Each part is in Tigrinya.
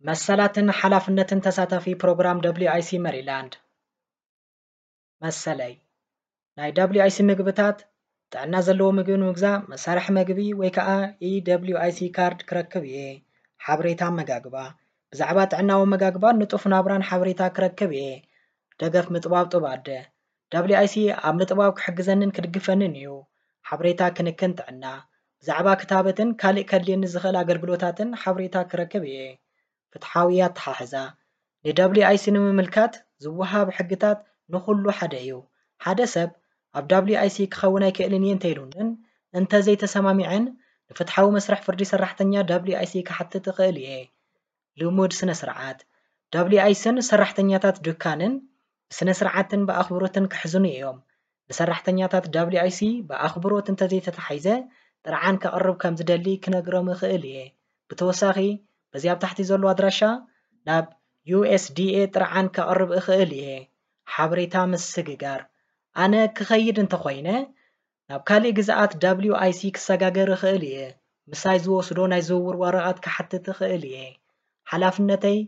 መሰላትን ሓላፍነትን ተሳታፊ ፕሮግራም ደብሊዩ ኣይ ሲ መሪላንድ። መሰለይ ናይ ደብሊዩ ኣይ ሲ ምግብታት፣ ጥዕና ዘለዎ ምግቢ ንምግዛእ መሳርሒ መግቢ ወይ ከዓ ኢ ደብሊዩ ኣይ ሲ ካርድ ክረክብ እየ። ሓበሬታ ኣመጋግባ፣ ብዛዕባ ጥዕናዊ ኣመጋግባን ንጡፍ ናብራን ሓበሬታ ክረክብ እየ። ደገፍ ምጥባብ ጡብ ኣደ፣ ደብሊዩ ኣይ ሲ ኣብ ምጥባብ ክሕግዘንን ክድግፈንን እዩ። ሓበሬታ ክንክን ጥዕና፣ ብዛዕባ ክታበትን ካልእ ከድልየኒ ዝኽእል ኣገልግሎታትን ሓበሬታ ክረክብ እየ። ፍትሓዊ ኣተሓሕዛ፣ ንደብሊዩ ኣይ ሲ ንምምልካት ዝወሃብ ሕግታት ንኹሉ ሓደ እዩ። ሓደ ሰብ ኣብ ደብሊዩ ኣይ ሲ ክኸውን ኣይክእልን እየ እንተኢሉንን እንተዘይተሰማሚዐን፣ ንፍትሓዊ መስርሕ ፍርዲ ሰራሕተኛ ደብሊዩ ኣይ ሲ ክሓትት እኽእል እየ። ልሙድ ስነ ስርዓት፣ ደብሊዩ ኣይ ሲን ሰራሕተኛታት ዱካንን ብስነ ስርዓትን ብኣኽብሮትን ክሕዝኑ እዮም። ንሰራሕተኛታት ደብሊዩ ኣይ ሲ ብኣኽብሮት እንተዘይተታሒዘ፣ ጥርዓን ከቕርብ ከም ዝደሊ ክነግሮም እኽእል እየ። ብተወሳኺ፣ በዚ ኣብ ታሕቲ ዘሎ ኣድራሻ ናብ ዩ ኤስ ዲ ኤ ጥርዓን ከቕርብ እኽእል እየ። ሓበሬታ ምስግጋር፣ ኣነ ክኸይድ እንተኾይነ፣ ናብ ካልእ ግዝኣት ደብሊዩ ኣይ ሲ ክሰጋገር እኽእል እየ። ምሳይ ዝወስዶ ናይ ዝውውር ወረቐት ክሓትት እኽእል እየ። ሓላፍነተይ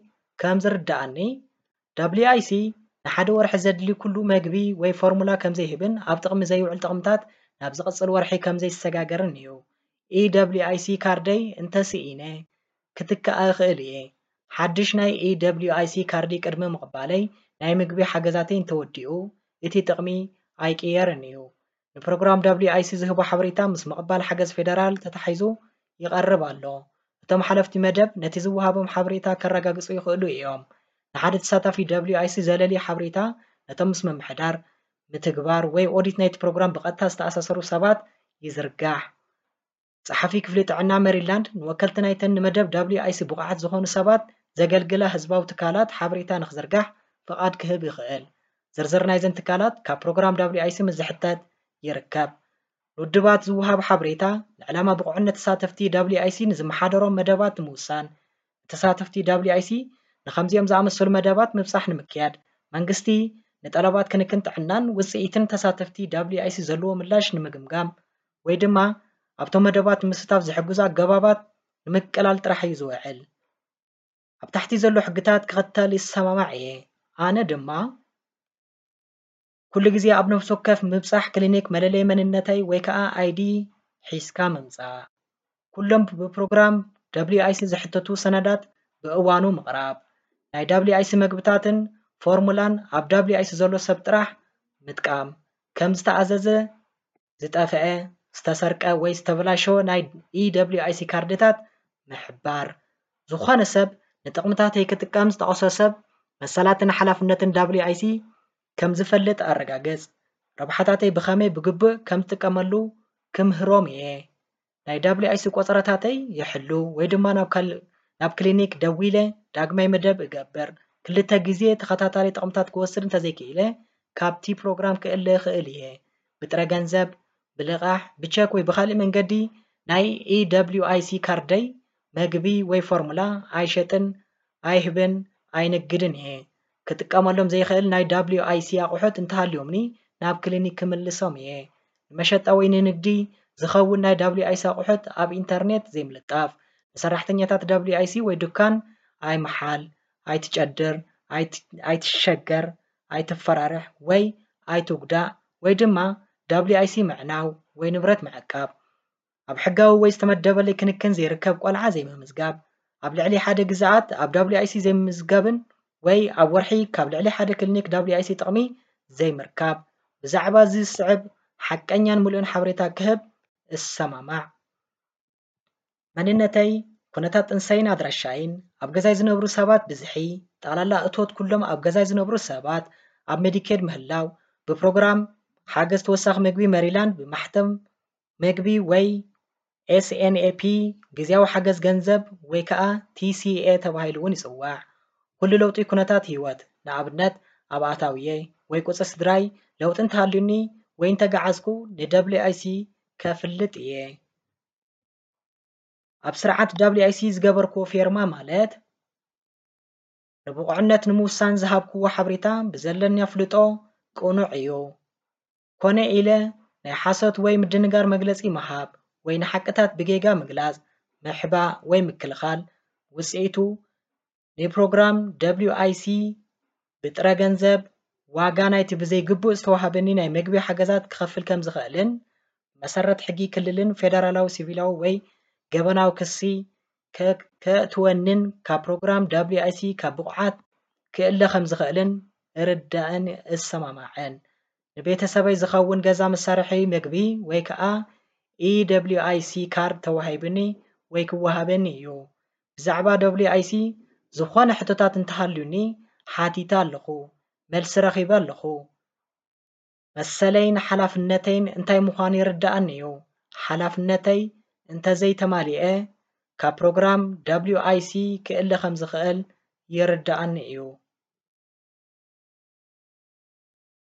ከም ዝርድኣኒ፣ ደብሊዩ ኣይ ሲ ንሓደ ወርሒ ዘድሊ ኩሉ መግቢ ወይ ፎርሙላ ከም ዘይህብን ኣብ ጥቕሚ ዘይውዕል ጥቕምታት ናብ ዝቕጽል ወርሒ ከም ዘይሰጋገርን እዩ። ኢ ደብሊዩ ኣይ ሲ ካርደይ እንተስኢነ ክትክኣ እኽእል እየ። ሓድሽ ናይ ኢ ደብሊዩ ኣይ ሲ ካርዲ ቅድሚ ምቕባለይ ናይ ምግቢ ሓገዛተይ እንተወዲኡ እቲ ጥቕሚ ኣይቅየርን እዩ። ንፕሮግራም ደብሊዩ ኣይ ሲ ዝህቦ ሓበሬታ ምስ ምቕባል ሓገዝ ፌደራል ተታሒዙ ይቐርብ ኣሎ። እቶም ሓለፍቲ መደብ ነቲ ዝወሃቦም ሓበሬታ ከረጋግጹ ይኽእሉ እዮም። ንሓደ ተሳታፊ ደብሊዩ ኣይ ሲ ዘለሊ ሓበሬታ ነቶም ምስ ምምሕዳር፣ ምትግባር ወይ ኦዲት ናይቲ ፕሮግራም ብቐጥታ ዝተኣሳሰሩ ሰባት ይዝርጋሕ። ጸሓፊ ክፍሊ ጥዕና ሜሪላንድ ንወከልቲ ናይተን ንመደብ ደብሊዩ ኣይ ሲ ብቑዓት ዝኾኑ ሰባት ዘገልግላ ህዝባዊ ትካላት ሓበሬታ ንኽዝርጋሕ ፍቓድ ክህብ ይኽእል። ዝርዝር ናይዘን ትካላት ካብ ፕሮግራም ደብሊዩ ኣይ ሲ ምስ ዝሕተት ይርከብ። ንውድባት ዝወሃብ ሓበሬታ ንዕላማ ብቑዕነት ተሳተፍቲ ደብሊዩ ኣይ ሲ ንዝመሓደሮም መደባት ንምውሳን፣ ተሳተፍቲ ደብሊዩ ኣይ ሲ ንኸምዚኦም ዝኣመሰሉ መደባት ምብጻሕ ንምክያድ፣ መንግስቲ ንጠለባት ክንክን ጥዕናን ውጽኢትን ተሳተፍቲ ደብሊዩ ኣይ ሲ ዘለዎ ምላሽ ንምግምጋም ወይ ድማ ኣብቶም መደባት ንምስታፍ ዝሕግዙ ኣገባባት ንምቅላል ጥራሕ እዩ ዝውዕል። ኣብ ታሕቲ ዘሎ ሕግታት ክኽተል ይሰማማዕ እየ። ኣነ ድማ ኩሉ ግዜ ኣብ ነፍሲ ወከፍ ምብጻሕ ክሊኒክ መለለዪ መንነተይ ወይ ከኣ ኣይ ዲ ሒዝካ ምምጻእ። ኩሎም ብፕሮግራም ደብሊዩ ኣይ ሲ ዝሕተቱ ሰነዳት ብእዋኑ ምቕራብ። ናይ ደብሊዩ ኣይ ሲ መግብታትን ፎርሙላን ኣብ ደብሊዩ ኣይ ሲ ዘሎ ሰብ ጥራሕ ምጥቃም። ከም ዝተኣዘዘ ዝጠፍአ፣ ዝተሰርቀ ወይ ዝተበላሸወ ናይ ኢ ደብሊዩ ኣይ ሲ ካርድታት ምሕባር። ዝኾነ ሰብ ንጥቕምታተይ ክጥቀም ዝጠቐሶ ሰብ መሰላትን ሓላፍነትን ደብሊዩ ኣይ ሲ ከም ዝፈልጥ ኣረጋግጽ። ረብሓታተይ ብኸመይ ብግቡእ ከም ዝጥቀመሉ ክምህሮም እየ። ናይ ደብሊዩ ኣይ ሲ ቆጸራታተይ ይሕሉ ወይ ድማ ናብ ካልእ፣ ናብ ክሊኒክ ደዊለ ዳግማይ መደብ እገብር። ክልተ ግዜ ተኸታታሊ ጥቕምታት ክወስድ እንተዘይክኢለ፣ ካብቲ ፕሮግራም ክእለ እኽእል እየ። ብጥረ ገንዘብ፣ ብልቓሕ፣ ብቸክ ወይ ብኻልእ መንገዲ ናይ ኢ ደብሊዩ ኣይ ሲ ካርደይ፣ መግቢ ወይ ፎርሙላ ኣይሸጥን፣ ኣይህብን፣ ኣይንግድን እየ። ክጥቀመሎም ዘይኽእል ናይ ደብሊዩ ኣይ ሲ ኣቑሑት እንተሃልዮምኒ ናብ ክሊኒክ ክምልሶም እየ። ንመሸጣ ወይ ንንግዲ ዝኸውን ናይ ደብሊዩ ኣይ ሲ ኣቑሑት ኣብ ኢንተርኔት ዘይምልጣፍ፣ ንሰራሕተኛታት ደብሊዩ ኣይ ሲ ወይ ዱካን ኣይምሓል፣ ኣይትጨድር፣ ኣይት-፣ ኣይትሸገር፣ ኣይትፈራርሕ ወይ ኣይትጉዳእ ወይ ድማ ደብሊዩ ኣይ ሲ ምዕናው ወይ ንብረት ምዕቃብ። ኣብ ሕጋዊ ወይ ዝተመደበለይ ክንክን ዘይርከብ ቆልዓ ዘይምምዝጋብ። ኣብ ልዕሊ ሓደ ግዝኣት ኣብ ደብሊዩ ኣይ ሲ ዘይምምዝጋብን ወይ ኣብ ወርሒ ካብ ልዕሊ ሓደ ክሊኒክ ደብሊዩ ኣይ ሲ ጥቕሚ ዘይምርካብ። ብዛዕባ እዚ ዝስዕብ ሓቀኛን ምሉእን ሓበሬታ ክህብ እሰማማዕ። መንነተይ፣ ኩነታት ጥንሰይን ኣድራሻይን፣ ኣብ ገዛይ ዝነብሩ ሰባት ብዝሒ፣ ጠቕላላ እቶት ኩሎም ኣብ ገዛይ ዝነብሩ ሰባት፣ ኣብ ሜዲኬድ ምህላው፣ ብፕሮግራም ሓገዝ ተወሳኺ መግቢ ሜሪላንድ ብማሕተም መግቢ ወይ ኤስ ኤን ኤ ፒ፣ ግዝያዊ ሓገዝ ገንዘብ ወይ ከኣ ቲ ሲ ኤ ተባሂሉ እውን ይጽዋዕ። ኩሉ ለውጢ ኩነታት ህይወት፣ ንኣብነት ኣብ ኣታውየይ ወይ ቁጽሪ ስድራይ ለውጢ እንተሃልዩኒ ወይ እንተገዓዝኩ ን ደብሊዩ ኣይ ሲ ከፍልጥ እየ። ኣብ ስርዓት ደብሊዩ ኣይ ሲ ዝገበርክዎ ፌርማ ማለት ንብቑዕነት ንምውሳን ዝሃብክዎ ሓበሬታ ብዘለኒ ኣፍልጦ ቅኑዕ እዩ። ኮነ ኢለ ናይ ሓሶት ወይ ምድንጋር መግለጺ ምሃብ ወይ ንሓቅታት ብጌጋ ምግላጽ፣ ምሕባእ ወይ ምክልኻል ውጽኢቱ ንፕሮግራም ደብሊዩ ኣይ ሲ ብጥረ ገንዘብ ዋጋ ናይቲ ብዘይግቡእ ዝተዋህበኒ ናይ መግቢ ሓገዛት ክኸፍል ከም ዝኽእልን መሰረት ሕጊ ክልልን ፌደራላዊ ሲቪላዊ ወይ ገበናዊ ክሲ ከእትወንን ካብ ፕሮግራም ደብሊዩ ኣይ ሲ ካብ ብቑዓት ክእለ ከም ዝኽእልን እርዳእን እሰማማዕን። ንቤተሰበይ ዝኸውን ገዛ መሳርሒ መግቢ ወይ ከዓ ኢ ደብሊዩ ኣይ ሲ ካርድ ተዋሂብኒ ወይ ክወሃበኒ እዩ። ብዛዕባ ደብሊዩ ኣይ ሲ ዝኾነ ሕቶታት እንተሃልዩኒ ሓቲተ ኣለኹ፣ መልሲ ረኺበ ኣለኹ። መሰለይን ሓላፍነተይን እንታይ ምዃኑ ይርድኣኒ እዩ። ሓላፍነተይ እንተዘይተማሊኤ ካብ ፕሮግራም ደብሊዩ ኣይ ሲ ክእለ ከም ዝኽእል ይርድኣኒ እዩ።